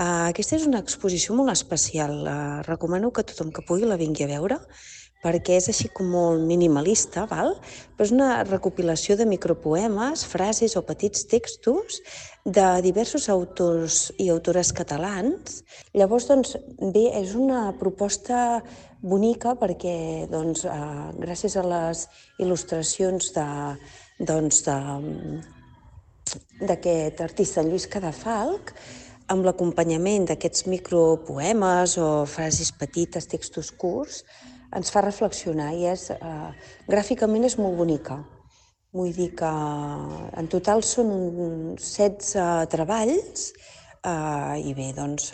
Aquesta és una exposició molt especial. Recomano que tothom que pugui la vingui a veure, perquè és així com molt minimalista, val? Però és una recopilació de micropoemes, frases o petits textos de diversos autors i autores catalans. Llavors, doncs, bé, és una proposta bonica perquè, doncs, gràcies a les il·lustracions d'aquest artista, en Lluís Cadafalch, amb l'acompanyament d'aquests micropoemes o frases petites, textos curts, ens fa reflexionar i gràficament és molt bonica. Vull dir que en total són uns 16 treballs i bé, doncs